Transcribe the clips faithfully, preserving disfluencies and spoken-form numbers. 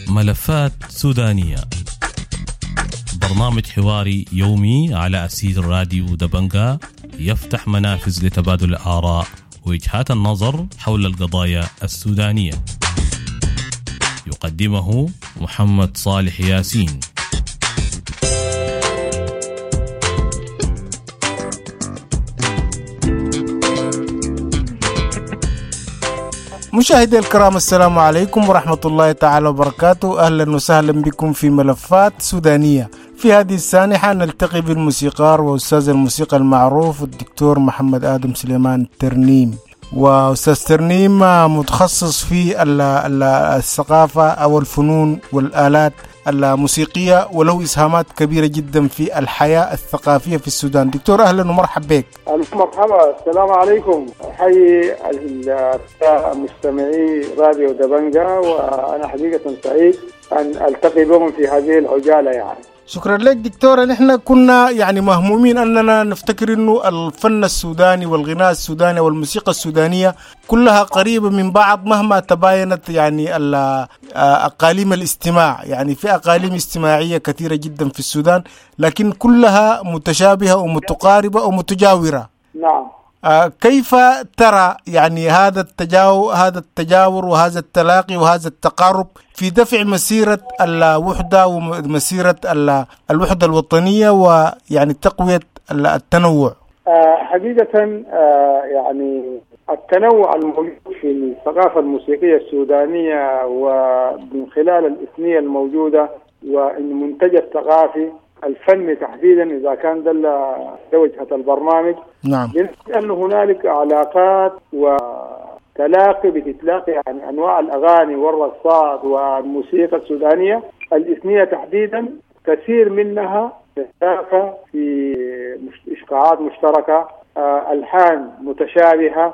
ملفات سودانية، برنامج حواري يومي على أسير راديو دبنجا، يفتح منافذ لتبادل الآراء ووجهات النظر حول القضايا السودانية. يقدمه محمد صالح ياسين. مشاهدي الكرام، السلام عليكم ورحمة الله تعالى وبركاته. أهلا وسهلا بكم في ملفات سودانية. في هذه السانحة نلتقي بالموسيقار وأستاذ الموسيقى المعروف الدكتور محمد آدم سليمان ترنيم. وأستاذ ترنيم متخصص في الثقافة أو الفنون والآلات الموسيقية، وله إسهامات كبيرة جدا في الحياة الثقافية في السودان. دكتور أهلا ومرحبا بك. ألف مرحبا، السلام عليكم. أحيي المستمعي راديو دبنجا، وأنا حقيقة سعيد أن ألتقي بهم في هذه العجالة. يعني شكرا لك دكتور. نحن كنا يعني مهمومين أننا نفتكر أنه الفن السوداني والغناء السوداني والموسيقى السودانية كلها قريبة من بعض مهما تباينت يعني أقاليم الاستماع. يعني في أقاليم استماعية كثيرة جدا في السودان، لكن كلها متشابهة ومتقاربة ومتجاورة. نعم. كيف ترى يعني هذا التجاور هذا التجاور وهذا التلاقي وهذا التقارب في دفع مسيرة الوحدة ومسيرة الوحدة الوطنية ويعني تقوية التنوع؟ حقيقة يعني التنوع الموجود في الثقافة الموسيقية السودانية ومن خلال الإثنية الموجودة والمنتج الثقافي الفني تحديدا، إذا كان دل وجهة البرنامج. نعم. لأن هنالك علاقات وتلاقي بتتلاقي يعني أنواع الأغاني والرقصات والموسيقى السودانية الإثنية تحديدا، كثير منها تتلاقى في إشقاعات مشتركة، ألحان متشابهة،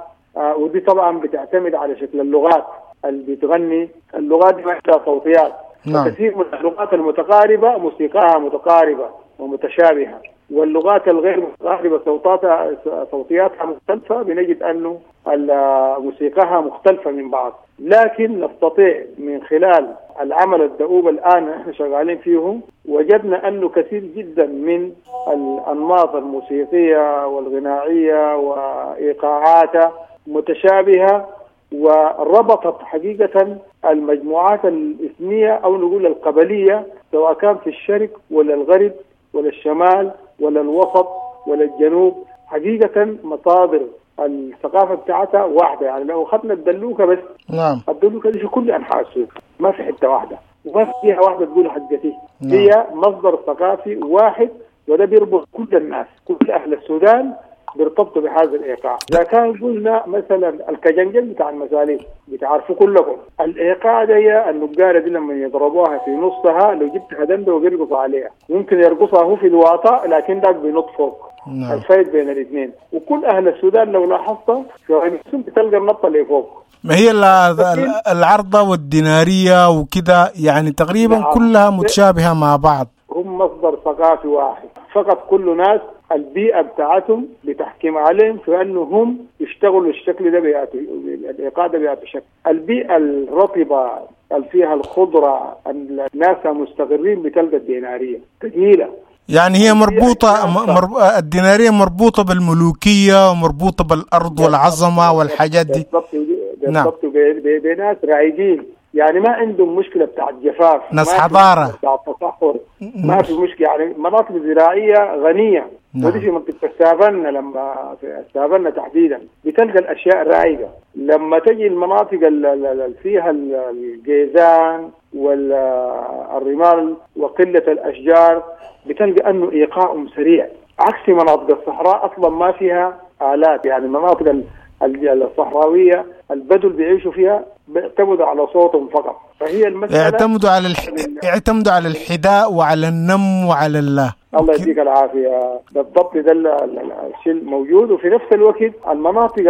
ودي طبعا بتعتمد على شكل اللغات اللي بتغني. اللغات دي ما صوتيات. نعم. كثير من اللغات المتقاربة موسيقاها متقاربة ومتشابهة، واللغات الغير متقاربة صوتاتها صوتياتها مختلفة، بنجد أنه موسيقاها مختلفة من بعض. لكن نستطيع من خلال العمل الدؤوب الآن نحن شغالين فيه، وجدنا أنه كثير جدا من الأنماط الموسيقية والغنائية وإيقاعاتها متشابهة، وربطت حقيقة المجموعات الإثنية أو نقول القبلية، سواء كان في الشرق ولا الغرب ولا الشمال ولا الوسط ولا الجنوب. حقيقة مصادر الثقافة بتاعتها واحدة. يعني لو أخذنا الدلوكة بس، نعم، الدلوكة دي في كل أنحاء السوق، ما في حتة واحدة وما فيها واحدة تقول حقتي. نعم. هي مصدر ثقافي واحد، وده بيربط كل الناس، كل أهل السودان بيرتبطوا بهذا الايقاع. اذا كان قلنا مثلا الكجنجل بتاع المساليك بتعرفوا كلكم الايقاع ده، هي النقاره دي لما يضربوها في نصها لو جبت هدنده وبيرقصوا عليها، ممكن يرقصها هو في الواطة لكن داك بينط فوق. نعم. الفرق بين الاثنين. وكل اهل السودان لو لاحظت في بتلقى النطه اللي فوق، ما هي العرضه والديناريه وكده، يعني تقريبا. نعم. كلها متشابهه مع بعض، هم مصدر ثقافي واحد فقط. كل ناس البيئة بتاعتهم بتحكم عليهم في أنه هم يشتغلوا الشكل ده بيأتي الإيقاع ده بيأتي شكل. البيئة الرطبة اللي فيها الخضرة الناس مستقرين بتلقى الدينارية ثقيلة. يعني هي مربوطة مر... الدينارية مربوطة بالملوكية ومربوطة بالأرض والعظمة والحاجات دي. بالضبط. بالضبط. بناس رايقين، يعني ما عندهم مشكلة بتاعت جفاف، ناس حضارة بتاعت تصحر، ما في مشكلة. يعني مناطق زراعية غنية. نعم. ودي في منطقة السافنة، لما في السافنة تحديدا بتلقى الأشياء رايقة. لما تجي المناطق اللي فيها الجيزان والرمال وقلة الأشجار بتلقى أنه إيقاعهم سريع، عكس مناطق الصحراء أصلا ما فيها آلات. يعني المناطق الصحراوية البدو اللي بيعيشوا فيها بيعتمدوا على صوتهم فقط. فهي المسألة يعتمدوا على الح... يعتمدوا على الحداء وعلى النم وعلى الله. الله يديك العافية. بالضبط ده الشيء الموجود. وفي نفس الوقت المناطق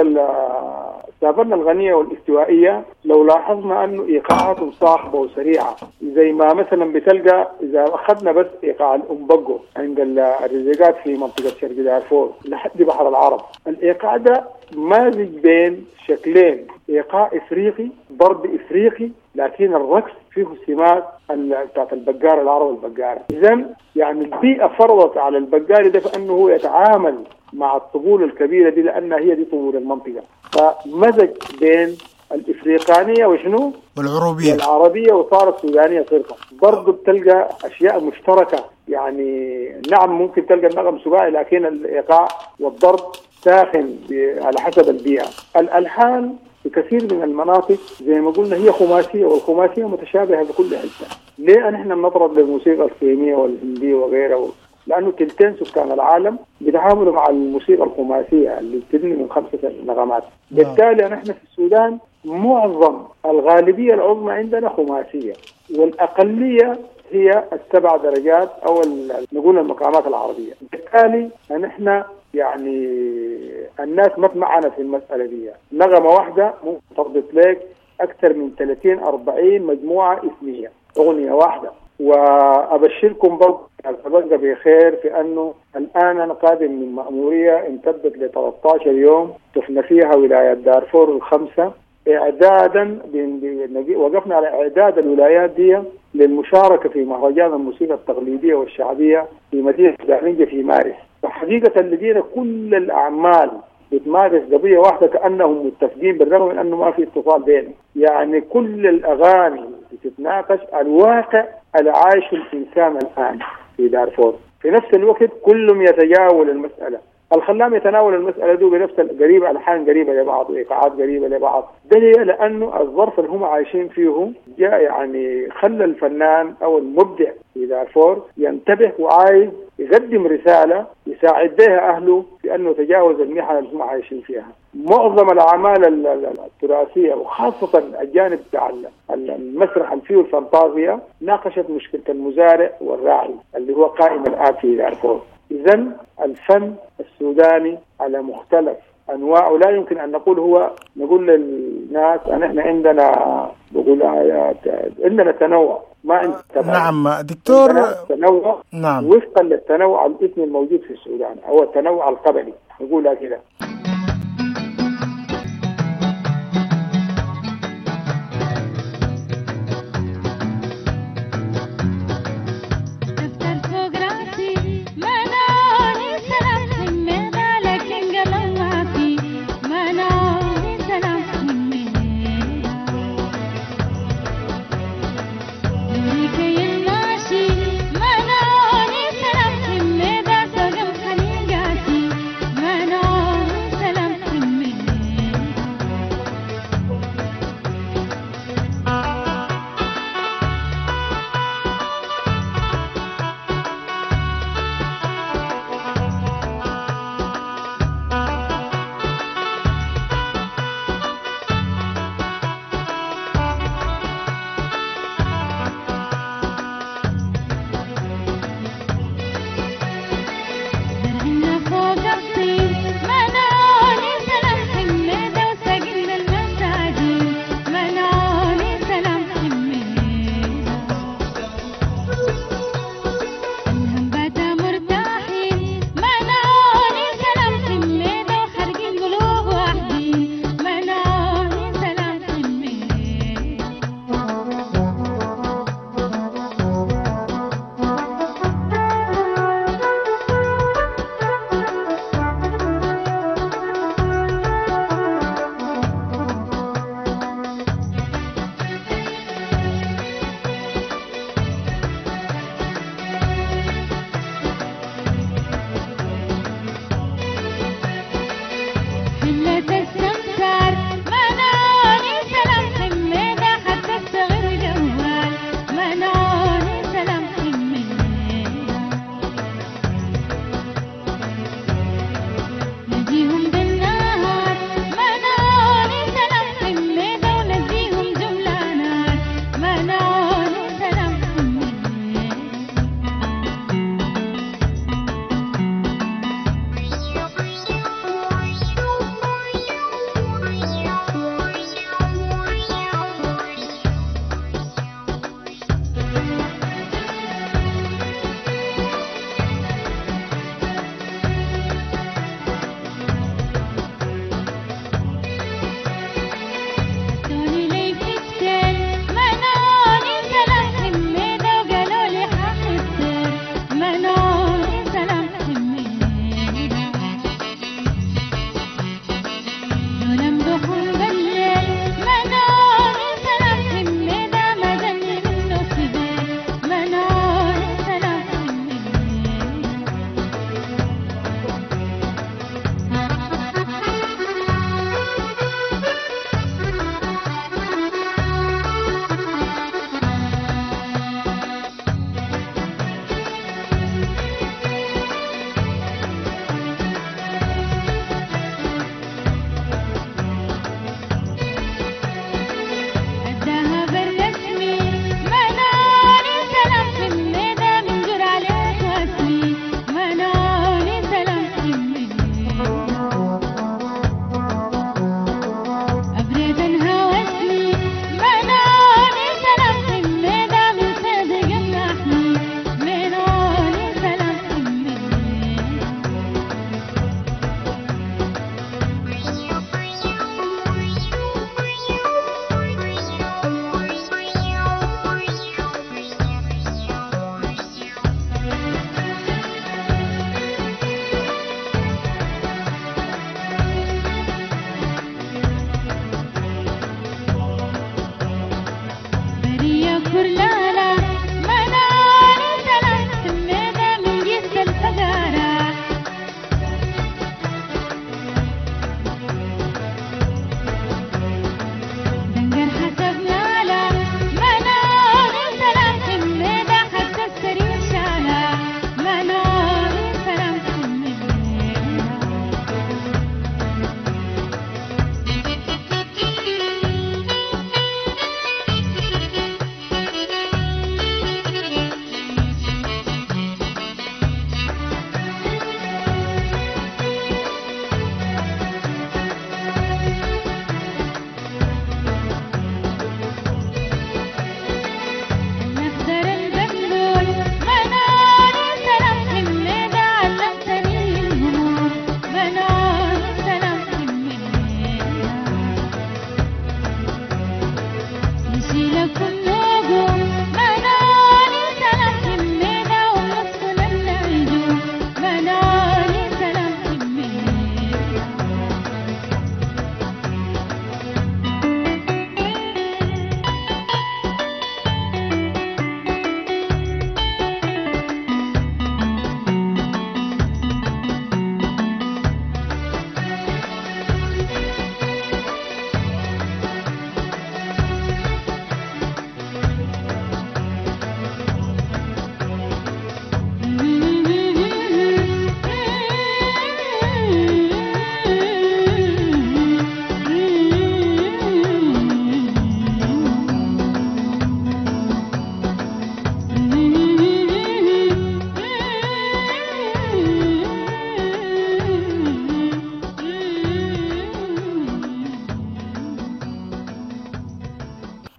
السافنا الغنية والاستوائية لو لاحظنا أنه إيقاعاتهم صاخبة وسريعة، زي ما مثلا بتلقى إذا أخذنا بس إيقاع الأمبقو عند الرزيقات في منطقة شرق دارفور لحد بحر العرب، الإيقاع ده مازج بين شكلين، إيقاع إفريقي ضرب إفريقي، لكن الرقص فيه سمات بتاعت البقارة العرب البقارة. إذن يعني البيئة فرضت على البقاري ده فأنه هو يتعامل مع الطبول الكبيرة دي لأنها هي دي طبول المنطقة، فمزج بين الإفريقانية وشنو؟ والعروبية العربية، وصارت سودانية صرفة. برضو بتلقى أشياء مشتركة، يعني نعم ممكن تلقى النغم سباعي لكن الإيقاع والضرب ساخن على حسب البيئة. الألحان في كثير من المناطق زي ما قلنا هي خماسية، والخماسية متشابهة في كل حتة. ليه نحن بنضرب للموسيقى الصينية والهندية وغيرها؟ لأنه تلتين سكان العالم بيتعاملوا مع الموسيقى الخماسية اللي بتبني من خمسة نغمات. بالتالي نحن في السودان معظم الغالبية العظمى عندنا خماسية، والأقلية هي السبع درجات أو نقول المقامات العربية. بالتالي نحن يعني الناس ما معنا في المسألة دي، نغمة واحدة ممكن تربط لك أكثر من ثلاثين أربعين مجموعة اسمية، أغنية واحدة. وأبشركم برضه أتبقى بخير في أنه الآن أنا قادم من مأمورية امتدت ل ثلاثة عشر يوم شفنا فيها ولايات دارفور الخمسة، إعدادا وقفنا على إعداد الولايات دي للمشاركة في مهرجان الموسيقى التقليدية والشعبية في مدينة دارنجة في مارس. فحقيقة لدينا كل الأعمال بتمارس قضية واحدة كأنهم متفقين بالرغم من أنه ما في اتصال بينهم. يعني كل الأغاني بتتناقش الواقع العايش الإنسان الآن في دارفور. في نفس الوقت كلهم يتجاول المسألة، الخلام يتناول المسألة دي بنفس القريبة، ألحان قريبة لبعض وإيقاعات قريبة لبعض. ده لأنه الظرف اللي هم عايشين فيه جاء يعني خلى الفنان أو المبدع في دارفور ينتبه وعايز يقدم رسالة يساعد بها أهله في أنه تجاوز المحن اللي هم عايشين فيها. معظم الأعمال التراثية وخاصة الجانب بتاع المسرح اللي فيه الفانتازيا ناقشت مشكلة المزارع والراعي اللي هو قائم الآن في دارفور. إذن الفن السوداني على مختلف أنواعه لا يمكن أن نقول هو، نقول للناس أن إحنا عندنا بقول عندنا تنوع، ما عندنا. نعم دكتور، تنوع. نعم، وفقا للتنوع الإثني الموجود في السودان أو التنوع القبلي نقولها كده. ما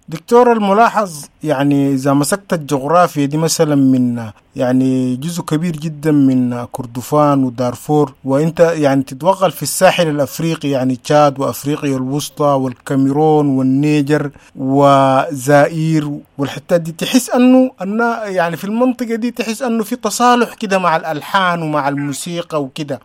دكتور، الملاحظ يعني إذا مسكت الجغرافيا دي مثلا من يعني جزء كبير جدا من كردفان ودارفور، وانت يعني تتوغل في الساحل الأفريقي، يعني تشاد وأفريقيا الوسطى والكاميرون والنيجر وزائر والحتات دي، تحس أنه أن يعني في المنطقة دي تحس أنه في تصالح كده مع الألحان ومع الموسيقى وكده.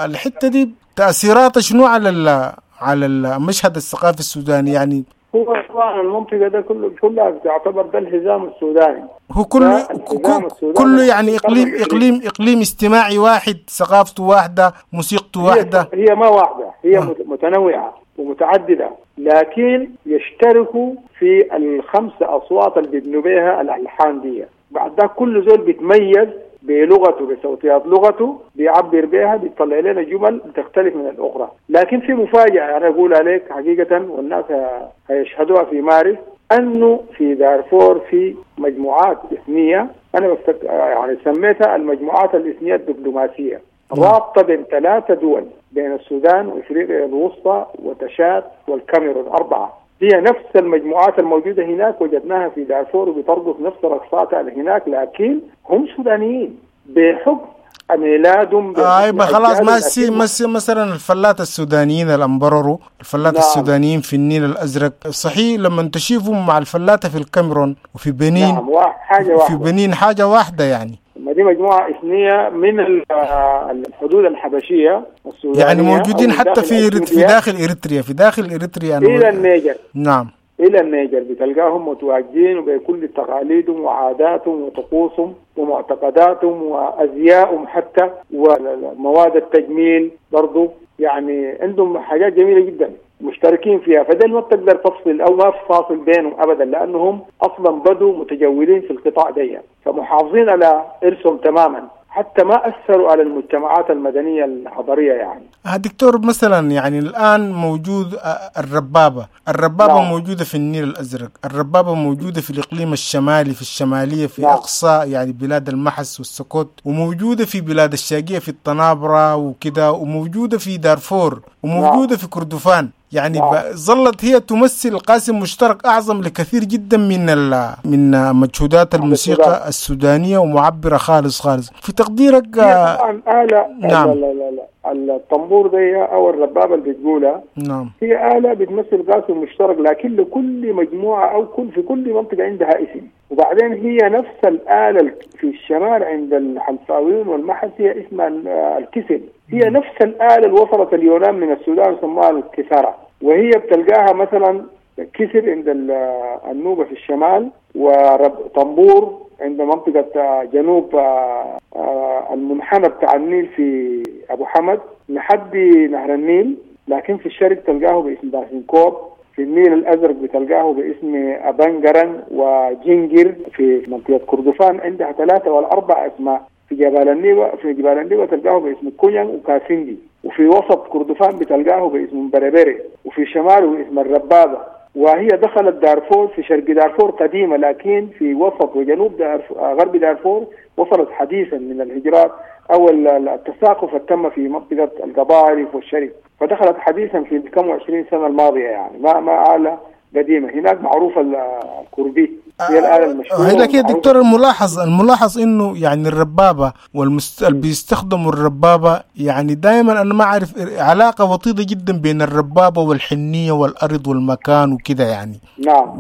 الحتة دي تأثيراتها شنو على على المشهد الثقافي السوداني؟ يعني هو طبعا المنطقة ده كله كلها تعتبر ده الحزام السوداني، هو كله كله يعني إقليم إقليم إقليم استماعي واحد، ثقافته واحدة، موسيقته واحدة. هي ما واحدة، هي آه. متنوعة ومتعددة، لكن يشتركوا في الخمسة أصوات اللي بيبنوا بها الألحان دي. بعد ده كل زول بيتميز بلغته، بصوتيات لغته، بيعبر بها، بيطلع لنا جمل بتختلف من الأخرى. لكن في مفاجأة أنا أقول عليك حقيقة، والناس هيشهدوها في مارس، أنه في دارفور في مجموعات إثنية، أنا بفتك... يعني سميتها المجموعات الإثنية الدبلوماسية، رابطة بين ثلاثة دول، بين السودان وإفريقيا الوسطى وتشاد والكاميرون، أربعة. هي نفس المجموعات الموجودة هناك وجدناها في دارفور، وبترقص نفس رقصاتها هناك، لكن هم سودانيين بحكم ميلادهم. آه خلاص، ما سي مثلا الفلات السودانيين الأمبررو، الفلات نعم. السودانيين في النيل الأزرق، صحيح لما تشوفهم مع الفلاتة في الكاميرون وفي بنين، نعم حاجة واحدة، في بنين حاجة واحدة يعني. ما دي مجموعة إثنية من الحدود الحبشية السودانية، يعني موجودين حتى في في داخل إريتريا، في داخل إريتريا إلى النيجر. نعم إلى النيجر بتلقاهم متواجدين وبكل تقاليدهم وعاداتهم وطقوسهم ومعتقداتهم وأزيائهم حتى، ومواد التجميل برضو، يعني عندهم حاجات جميلة جدا مشتركين فيها. فده ما بتقدر تفصل أو ما في فاصل بينهم أبدا، لأنهم أصلا بدوا متجولين في القطاع دي، فمحافظين على إرثهم تماما، حتى ما أثروا على المجتمعات المدنية الحضرية. يعني دكتور، مثلا يعني الآن موجود الربابة، الربابة نعم. موجودة في النيل الأزرق، الربابة موجودة في الإقليم الشمالي، في الشمالية، في نعم. أقصى يعني بلاد المحس والسكوت، وموجودة في بلاد الشاقية في الطنابرة وكده، وموجودة في دارفور، وموجودة نعم. في كردفان. يعني نعم. ظلت هي تمثل قاسم مشترك أعظم لكثير جدا من من مجهودات الموسيقى السودانية، ومعبرة خالص خالص. في تقديرك؟ طبعا آلة، نعم. لا لا لا الطنبور دي أو الربابة اللي بتقولها، نعم، هي آلة بتمثل قاسم مشترك، لكن لكل مجموعة أو كل في كل منطقة عندها اسم. وبعدين هي نفس الآلة في الشمال عند الحلفاويين والمحس هي اسمها الكسل، هي نفس الآلة اللي وصلت اليونان من السودان سموها الكسارة، وهي بتلقاها مثلا كسر عند النوبة في الشمال، وطنبور عند منطقة جنوب المنحنى بتاع النيل في أبو حمد لحد نهر النيل. لكن في الشرق تلقاه باسم باسنكوب، في النيل الأزرق بتلقاه باسم أبنجرن وجنجر. في منطقة كردفان عندها ثلاثة ولا أربع أسماء. في جبال النيبة في جبال النيبة تلقاه باسم كونيان وكاسندي، وفي وسط كردفان بتلقاه باسم بربري، وفي شماله باسم الربابة. وهي دخلت دارفور في شرق دارفور قديمة، لكن في وسط وجنوب دارفور غرب دارفور وصلت حديثا من الهجرات أو التساقف التم في منطقة القضارف والشرق، فدخلت حديثا في كم وعشرين سنة الماضية، يعني ما ما آلة قديمة. هناك معروفة الكردي هي الآلة المشهورة. هناك يا دكتور الملاحظ الملاحظ إنه يعني الربابة والمست... اللي بيستخدموا الربابة يعني دائما أنا ما أعرف علاقة وطيدة جدا بين الربابة والحنية والأرض والمكان وكده يعني. نعم.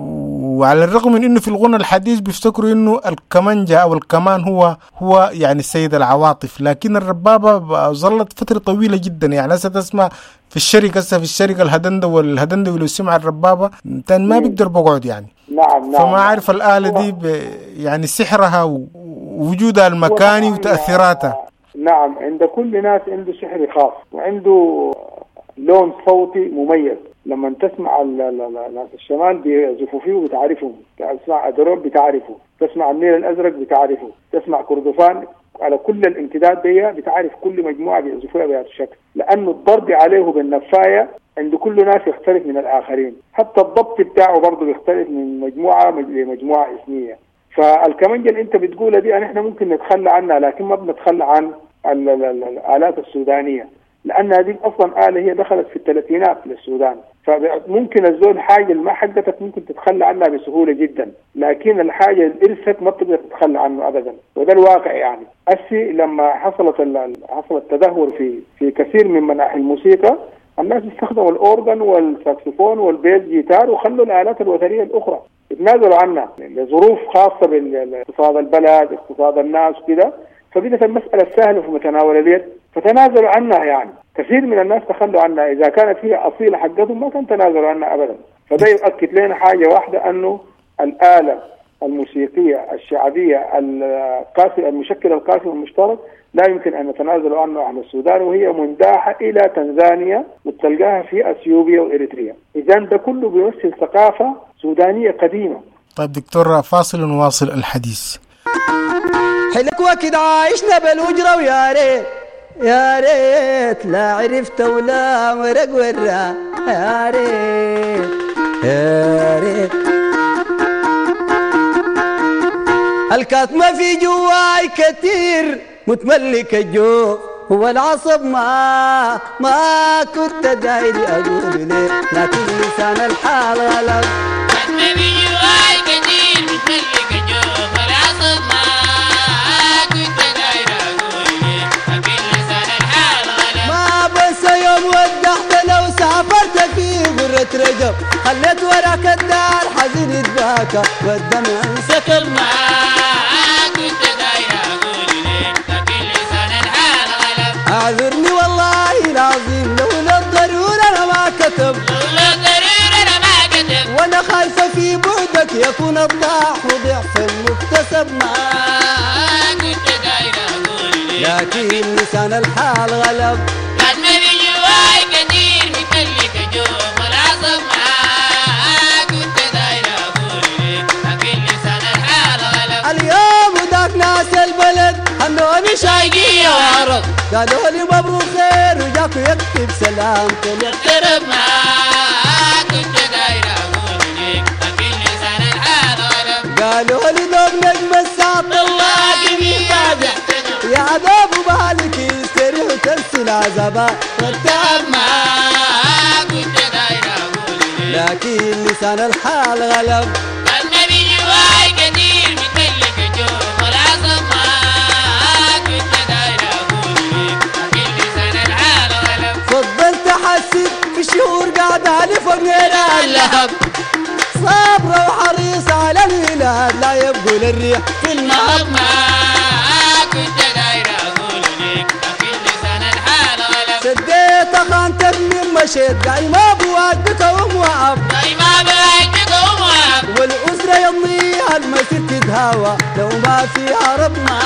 وعلى الرغم من إنه في الغنى الحديث بيفتكروا إنه الكمانجة أو الكمان هو هو يعني السيد العواطف، لكن الربابة ظلت فترة طويلة جدا. يعني هسه تسمع في الشركة هسه في الشركة الهدندة والهدندة ولو سمع الربابة تان ما بيقدر بقعد يعني. نعم نعم. فما عارف الآلة دي يعني سحرها ووجودها المكاني وتأثيراتها. نعم، عند كل ناس عنده سحر خاص وعنده لون صوتي مميز. لما تسمع ناس الشمال بيعزفوا فيه وبتعرفهم، تسمع أدروب بتعرفه، تسمع النيل الأزرق بتعرفه، تسمع كردفان، على كل الامتداد دي بتعرف كل مجموعة بيعزفوها بهذا الشكل، لأنه الضرب عليه بالنفاية عند كل ناس يختلف من الآخرين، حتى الضبط بتاعه برضه بيختلف من مجموعة لمجموعة إثنية. فالكمانجة اللي أنت بتقولها دي نحن ممكن نتخلى عنها، لكن ما بنتخلى عن الآلات السودانية، لأن هذه أصلا آلة هي دخلت في الثلاثينات للسودان، فممكن الزول حاجة ما حقتك ممكن تتخلى عنها بسهولة جدا، لكن الحاجة الإرثت ما بتقدر تتخلى عنه أبدا، وده الواقع يعني. أسي لما حصلت حصل التدهور في في كثير من مناحي الموسيقى، الناس استخدموا الأورغن والساكسفون وال bass guitar وخلوا الآلات الوترية الأخرى، اتنازلوا عنها لظروف خاصة باقتصاد البلد، اقتصاد الناس وكده، فبدت المسألة سهلة في متناول اليد فتنازلوا عنها. يعني كثير من الناس تخلوا عنها، إذا كانت هي أصيلة حقتهم ما كان تنازلوا عنها أبدا. فده يؤكد لنا حاجة واحدة، أنه الآلة الموسيقية الشعبية القاسم المشكل القاسم المشترك لا يمكن أن نتنازل عنه أهل السودان، وهي منداحة إلى تنزانيا وتلقاها في أثيوبيا وإريتريا. إذن ده كله بيمثل ثقافة سودانية قديمة. طيب دكتور، فاصل ونواصل الحديث. حلك وكد عايشنا بالأجرة، ويا ريت يا ريت لا عرفت ولا مرق ورا، يا ريت يا ريت الكاتمة في جواي كتير متملك الجوف هو العصب، ما ما كنت داير أقول ليه، لكن لسان الحال غلب. كاتمة في جواي كتير متملك الجوف والعصب، ما كنت داير أقول ليه، لكن لسان الحال غلب. ما بس يوم ودعت لو سافرت في غرة رجب، خليت وراك الدار حزين يتباكى والدمع انسكب. ما كنت داير أقول ليه، لكن لسان الحال غلب. أعذرني والله العظيم لولا الضرورة أنا ما كتب، لولا الضرورة أنا ما كتب، وأنا خايفة في بعدك يكون الضعف ضعف المكتسب. ما كنت داير أقول ليه، لكن لسان الحال غلب. كاتمة في جواي كتير متملك جوف والعصب، ما كنت داير أقول ليه، لكن لسان الحال غلب. اليوم وداك ناس البلد هنوني شايقية وعرب، قالوا لي مبروك خير وجاك يكتب سلام اقترب. ما كنت داير أقول ليك، لكن لسان الحال غلب. قالوا لي دوب نجم الساعة طلعك من بعدك، يا عذاب وبالك يستريح وتنسي العذابات والتعب. ما كنت داير أقول ليك، لكن لسان الحال غلب. كان في جواي كتير متملك جوف والعصب، ما كنت داير أقول ليك، لكن لسان الحال غلب. فضلت أحسب في شهور قاعدة لي فوق نيران اللهب، صابرة وحريصة على الولاد لا يبقوا للريح في المهب. ما كنت داير أقول ليك، لكن لسان الحال غلب. سديت خانتك من مشيت قايمة بواجبك ومواب قايمة بواجبك ومواب والأسرة يضيها المسير تتهاوى لو ما فيها رب ما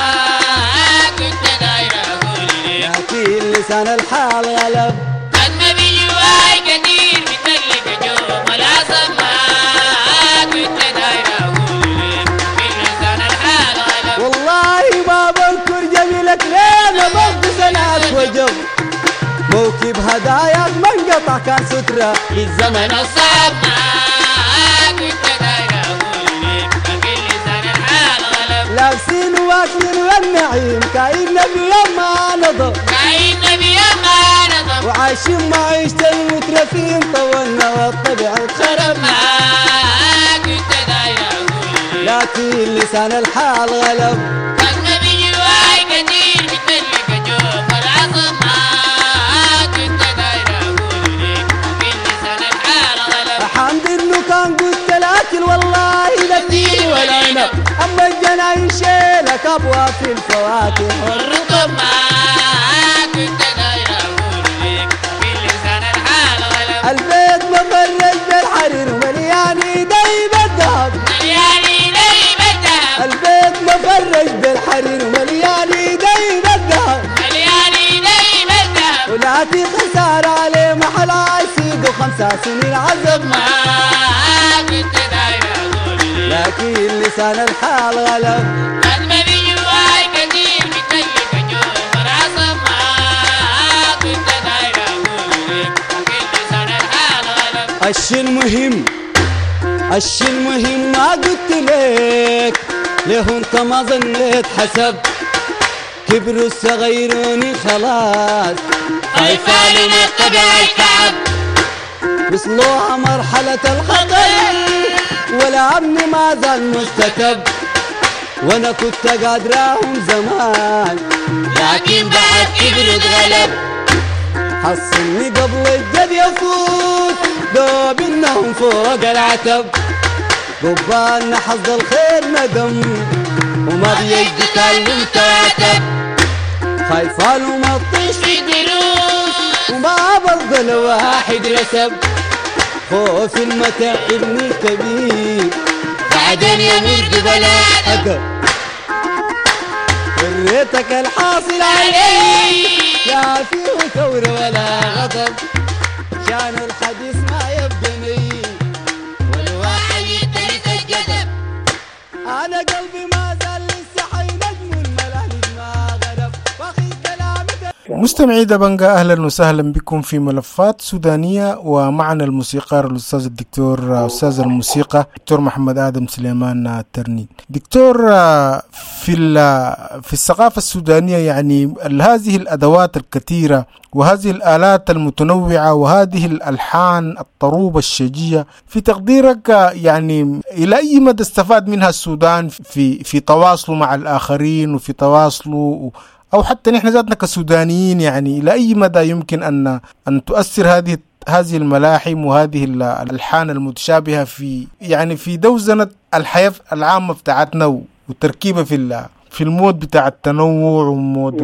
كنت داير أقول لك لكن لسان الحال غلب قد ما بجواي كتير بتلك جوم العصب ما كنت داير أقول لك لسان الحال غلب والله ما بنكر جميلك ليه برضو سنعك وجب موكب هداياك ما انقطع كان سترة للزمن الصعب ما كنت داير أقول لك لكن لسان الحال غلب لابسين واكلين والنعيم كاين نبي ما نضب كاين نبي ما نضب وعايشين معيشة المترفين طولنا والطبع اتخرب ما كنت داير أقول لك لكن لسان الحال غلب قد ما بجواي كتير بتملك جوف العصب ما كنت داير أقول لك لكن لسان الحال غلب حمد انه كان قلت الاكل والله لا التين والعنب اما الجناين شيلك ابواب في الفواكه والرطب ما كنت داير أقول لك لكن لسان الحال غلب البيت مفرش بالحرير ومليان ايدي بالذهب مليان ايدي بالذهب البيت مفرش بالحرير ومليان ايدي بالذهب مليان ايدي بالذهب ولكن خسارة عليه محل عايسيد وخمسة سنين عذب ما كنت داير أقول لك لكن لسان الحال غلب قد ما بجواي كتير بتلك جوف العصب ما كنت داير أقول لك لكن لسان الحال غلب الشي المهم الشي المهم ما قلت لك ليه انت ما ظنيت حسب كبروا الصغيروني خلاص خايفة من الطبع الكعب وصلوها مرحلة الخطر والأمن ما زال مستتب وانا كنت قادراهم زمان لكن بعد كبروا اتغلب حصلني قبل الجد يفوت دوب انهم فوق العتب قبالنا حظ الخير ندم وما بيجي كلم تعتب خايفة له ما تطيش في دروس وما برضى الواحد رسب خوف المتاع ابني الكبير بعدين يمر بلا أدب وريتك الحاصل علي لا فيه ثورة ولا غضب شان الحديث ما يبقى ني والواحد يترك الجذب أنا قلبي ما زال لسه حي نجم الملالي ما غرب واخي كلامي مستمعي دبنجا، أهلا وسهلا بكم في ملفات سودانية، ومعنا الموسيقار الأستاذ الدكتور أستاذ الموسيقى دكتور محمد آدم سليمان الترنين. دكتور، في في الثقافة السودانية يعني هذه الأدوات الكثيرة وهذه الآلات المتنوعة وهذه الألحان الطروبة الشجية، في تقديرك يعني إلى أي مدى استفاد منها السودان في في تواصله مع الآخرين وفي تواصله أو حتى نحن ذاتنا كسودانيين، يعني إلى أي مدى يمكن أن أن تؤثر هذه هذه الملاحم وهذه الألحان المتشابهة في يعني في دوزنة الحياة العامة بتاعتنا وتركيبة في في ال mood بتاع التنوع و mood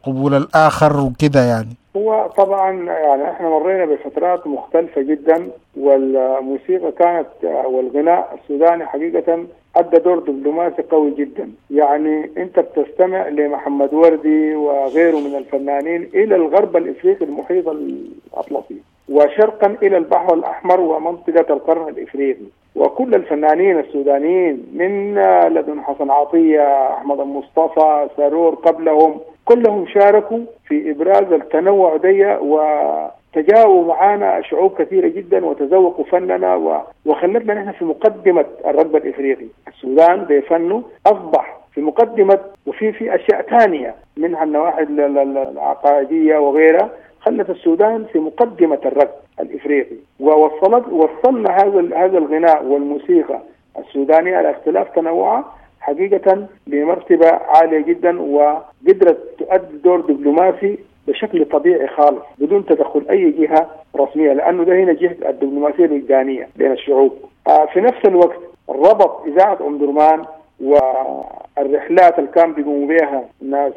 قبول الآخر وكده؟ يعني هو طبعا يعني احنا مرينا بفترات مختلفة جدا، والموسيقى كانت والغناء السوداني حقيقة أدى دور دبلوماسي قوي جدا. يعني أنت بتستمع لمحمد وردي وغيره من الفنانين إلى الغرب الإفريقي المحيط الأطلسي وشرقا إلى البحر الأحمر ومنطقة القرن الإفريقي، وكل الفنانين السودانيين من لدن حسن عطية، أحمد المصطفى، سرور قبلهم، كلهم شاركوا في إبراز التنوع دي وتجاوبوا معانا شعوب كثيرة جدا وتذوقوا فننا وخلتنا نحن في مقدمة الرغبة الإفريقي. السودان بفنه أصبح في مقدمة، وفي في أشياء ثانية منها النواحي العقائدية وغيرها خلت السودان في مقدمة الركب الإفريقي، ووصلت وصلنا هذا هذا الغناء والموسيقى السودانية على اختلاف تنوعها حقيقة لمرتبة عالية جدا، وقدرت تؤدي دور دبلوماسي بشكل طبيعي خالص بدون تدخل أي جهة رسمية، لأنه ده هنا جهة الدبلوماسية الوجدانية بين الشعوب. في نفس الوقت ربط إذاعة أم درمان والرحلات اللي كان بيقوموا بها الناس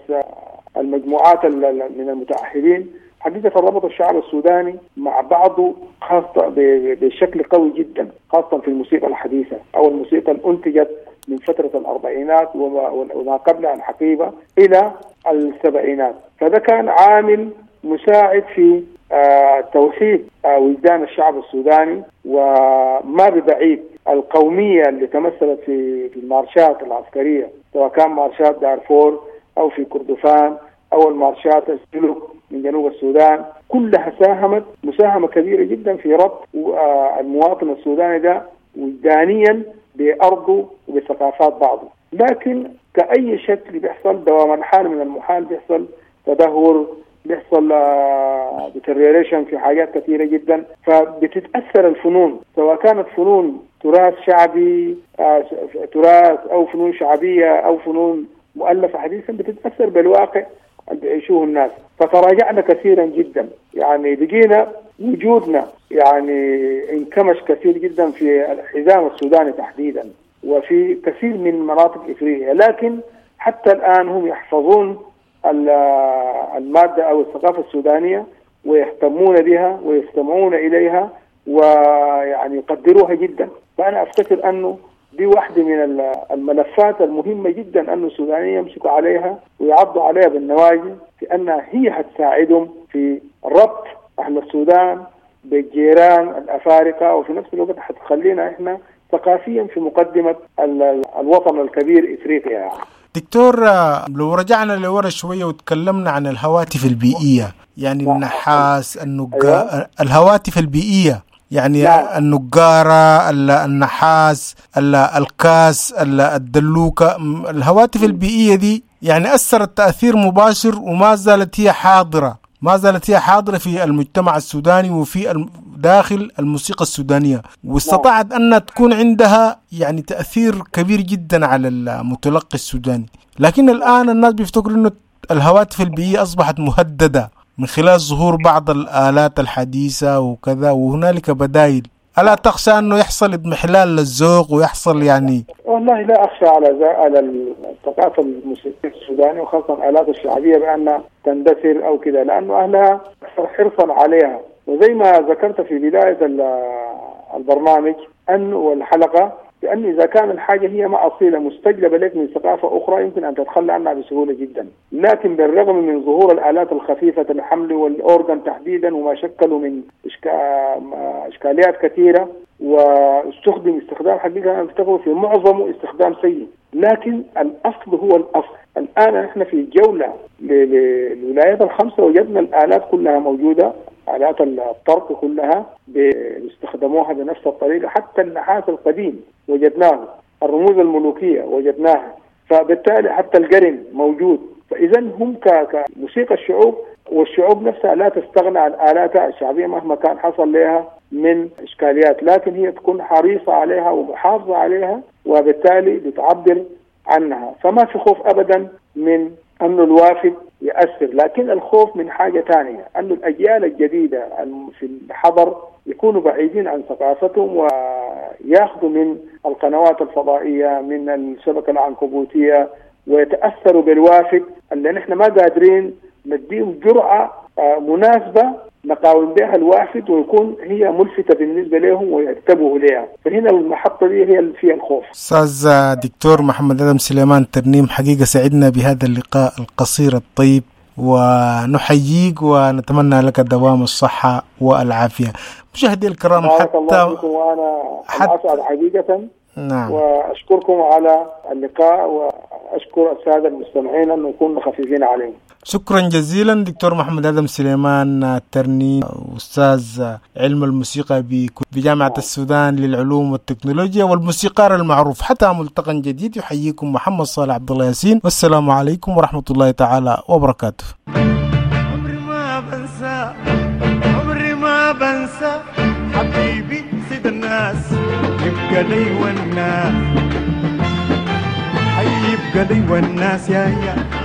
المجموعات من المتعهدين حقيقة ربط الشعب السوداني مع بعضه خاصة بشكل قوي جدا، خاصة في الموسيقى الحديثة أو الموسيقى اللي أنتجت من فترة الأربعينات وما قبلها الحقيبة إلى السبعينات. فده كان عامل مساعد في آه توحيد آه وجدان الشعب السوداني، وما ببعيد القومية اللي تمثلت في المارشات العسكرية، سواء كان مارشات دارفور أو في كردفان أو المارشات السلوك من جنوب السودان، كلها ساهمت مساهمة كبيرة جدا في ربط المواطن السوداني ده وجدانيا بأرضه وبثقافات بعضه. لكن كأي شكل بيحصل دوام الحال من المحال، بيحصل تدهور، بيحصل deterioration في حاجات كثيرة جدا، فبتتأثر الفنون سواء كانت فنون تراث شعبي، تراث أو فنون شعبية أو فنون مؤلفة حديثا، بتتأثر بالواقع اللي بيعيشوه الناس. فتراجعنا كثيرا جدا، يعني بقينا وجودنا يعني انكمش كثير جدا في الحزام السوداني تحديدا وفي كثير من مناطق إفريقيا. لكن حتى الآن هم يحفظون المادة أو الثقافة السودانية ويهتمون بها ويستمعون إليها ويعني يقدروها جدا. فأنا أفتكر أنه دي واحدة من الملفات المهمة جدا أن السودانيين يمسكوا عليها ويعضوا عليها بالنواجذ، في أنها هي هتساعدهم في ربط أهل السودان بالجيران الأفارقة، وفي نفس الوقت هتخلينا إحنا ثقافيا في مقدمة الوطن الكبير إفريقيا. يعني دكتور، لو رجعنا لورا شوية وتكلمنا عن الهواتف البيئية، يعني النحاس، النقا... أيوة. الهواتف البيئية يعني نعم. النقارة، النحاس، الكاس، الدلوكة، الهواتف البيئية دي يعني أثرت تأثير مباشر وما زالت هي حاضرة، ما زالت هي حاضرة في المجتمع السوداني وفي داخل الموسيقى السودانية، واستطاعت أن تكون عندها يعني تأثير كبير جدا على المتلقي السوداني. لكن الآن الناس بيفتكروا أنه الهواتف البيئية أصبحت مهددة من خلال ظهور بعض الآلات الحديثة وكذا، وهنالك بدائل. ألا تخشى أنه يحصل اضمحلال للذوق ويحصل يعني؟ والله لا أخشى على على الثقافة الموسيقية السودانية وخاصة الآلات الشعبية بأن تندثر أو كذا، لأنه أهلها أكثر حرصا عليها. وزي ما ذكرت في بداية البرنامج أن والحلقة بأن إذا كان الحاجة هي ما أصيلة مستجلبة لك من ثقافة أخرى يمكن أن تتخلى عنها بسهولة جدا. لكن بالرغم من ظهور الآلات الخفيفة الحمل والأورغن تحديدا وما شكلوا من إشكاليات كثيرة واستخدم استخدام حقيقة أنا أفتكر في معظمه استخدام سيء، لكن الأصل هو الأصل. الآن نحن في جولة للولايات الخمسة وجدنا الآلات كلها موجودة، آلات الطرق كلها بيستخدموها بنفس الطريقة، حتى النحاس القديم وجدناه، الرموز الملوكية وجدناها، فبالتالي حتى القرن موجود. فإذا هم كموسيقى الشعوب، والشعوب نفسها لا تستغنى عن آلاتها الشعبية مهما كان حصل لها من إشكاليات، لكن هي تكون حريصة عليها ومحافظة عليها وبالتالي بتعبر عنها. فما في خوف أبدا من أنه الوافد يأثر، لكن الخوف من حاجة تانية، أنه الأجيال الجديدة في الحضر يكونوا بعيدين عن ثقافتهم ويأخذوا من القنوات الفضائية، من الشبكة العنكبوتية، ويتأثروا بالوافد اللي نحن ما قادرين نديهم جرعة مناسبة نقاوم بها الوافد ويكون هي ملفتة بالنسبة لهم وينتبهوا لها. فهنا المحطة دي هي اللي فيها الخوف. أستاذ دكتور محمد آدم سليمان ترنيم، حقيقة سعدنا بهذا اللقاء القصير الطيب، ونحييك ونتمنى لك دوام الصحة والعافية. مشاهدي الكرام، حتى الله فيكم، وأنا حتى أسعد حقيقة. نعم. وأشكركم على اللقاء وأشكر السادة المستمعين أن نكون خفيفين عليهم. شكرا جزيلا دكتور محمد آدم سليمان الترنيم، أستاذ علم الموسيقى بجامعة السودان للعلوم والتكنولوجيا والموسيقار المعروف. حتى ملتقى جديد، يحييكم محمد صالح عبد الله ياسين، والسلام عليكم ورحمة الله تعالى وبركاته. عمري ما بنسى، عمري ما بنسى حبيبي سيد الناس، يبقى لي والناس، حيبقى لي والناس يا يا